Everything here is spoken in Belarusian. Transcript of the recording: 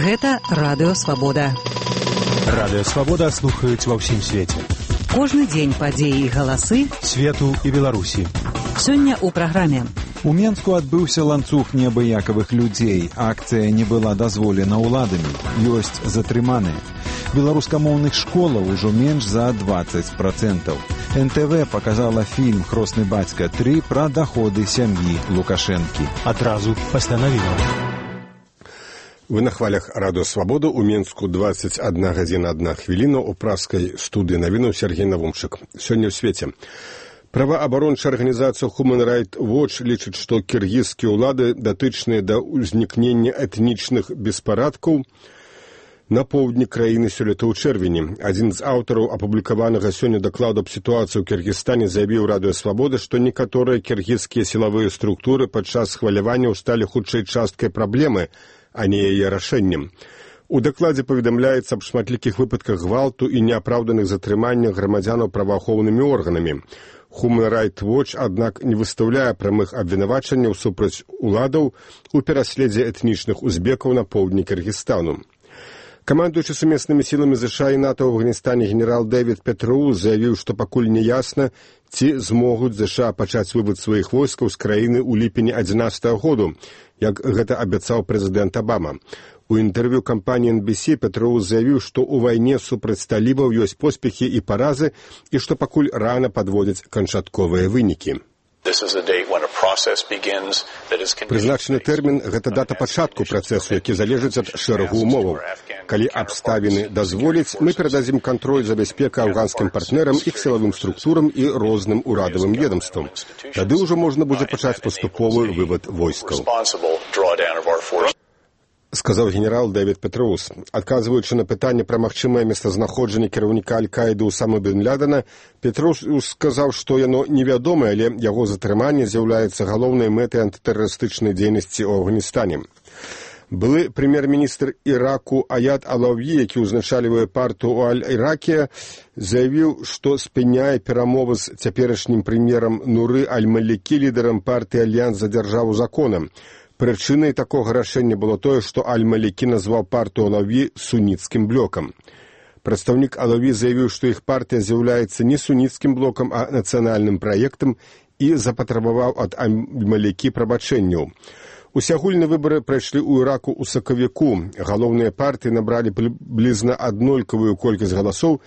Гэта Радыё Свабода. Радыё Свабода слухаюць ва ўсім свеце. Кожны дзень падзеі і галасы свету і Беларусі. Сёння ў праграме. У Менску адбыўся ланцуг неабыякавых людзей. Акцыя не была дазволена ўладамі. Ёсць затрыманыя. Беларускамоўных школаў ужо менш за 20%. НТВ показала фільм «Хросны бацька 3» пра даходы сям'і Лукашэнкі. Адразу пастанавіла. Вы на хвалях Радыё Свабода. У Менску 21 гадзіна 1 хвіліна. У пражскай студыі навінаў Сергей Навумчык. Сёння ў свеце. Праваабарончая арганізацыя Human Rights Watch лічыць, што кіргізскія ўлады, датычныя да ўзнікнення этнічных беспарадкаў на поўдні краіны сёлета ў чэрвені. Адзін з аўтараў апублікаванага сёння дакладу аб сітуацыі ў Кіргізстане заявіў Радыё Свабода, што некаторыя кіргізскія сілавыя структуры падчас хваляванняў сталі хутчэй часткай праблемы, а не яе рашэннем. У дакладзе паведамляецца аб шматлікіх выпадках гвалту і неапраўданых затрыманнях грамадзянаў праваахоўнымі органамі. Human Rights Watch, аднак, не выстаўляе прамых абвінавачанняў супраць уладаў у пераследзе этнічных узбекаў на поўдні Кыргызстану. Камандуючы сумеснымі сіламі ЗША і НАТО ў Афганістане генерал Дэвід Петроус заявіў, што пакуль не ясна, ці змогуць ЗША пачаць вывод сваіх войскаў з краіны ў ліпені 2011 году, як гэта абяцаў прэзідэнт Абама. У інтэрв'ю кампаніі NBC Петроус заявіў, што ў вайне супраць талібаў ёсць поспехі і паразы, і што пакуль рана падводзяць канчатковыя вынікі. Прызначаны тэрмін – гэта дата пачатку працэсу, які залежыць ад шэрагу умоваў. Калі абставіны дазволяць, мы перададзім кантроль за бяспеку афганскім партнерам, іх сілавым структурам і розным урадавым ведомствам. Тады ўжо можна будзе пачаць паступовы вывад войскаў. Сказаў генерал Дэвід Петроус. Адказваючы на пытанне пра магчымае месцазнаходжанне кіраўніка Аль-Каіды Усамы бен Лядена, Петроус сказаў, што яно невядомае, але яго затрыманне з'яўляецца галоўнай мэтай антытэрарыстычнай дзейнасці ў Афганістане. Былы прэм'ер-міністр Іраку Аят Алаўі, які ўзначальвае партыю ў Аль-Іраке, заявіў, што спыняе перамовы з цяперашнім прэм'ерам Нуры Аль-Малікі, лідарам партыі Альянс за дзяржаву законам. Прычынай такога рашэння было тое, што Аль-Малікі назваў партыю Алаўі суніцкім блокам. Прадстаўнік Алаўі заявіў, што іх партыя з'яўляецца не суніцкім блокам, а нацыянальным праектам і запатрабаваў ад Аль-Малікі прабачэнняў. Усеагульныя выбары прайшлі ў Іраку ў сакавіку. Галоўныя партыі набралі прыблізна аднолькавую колькасць галасоў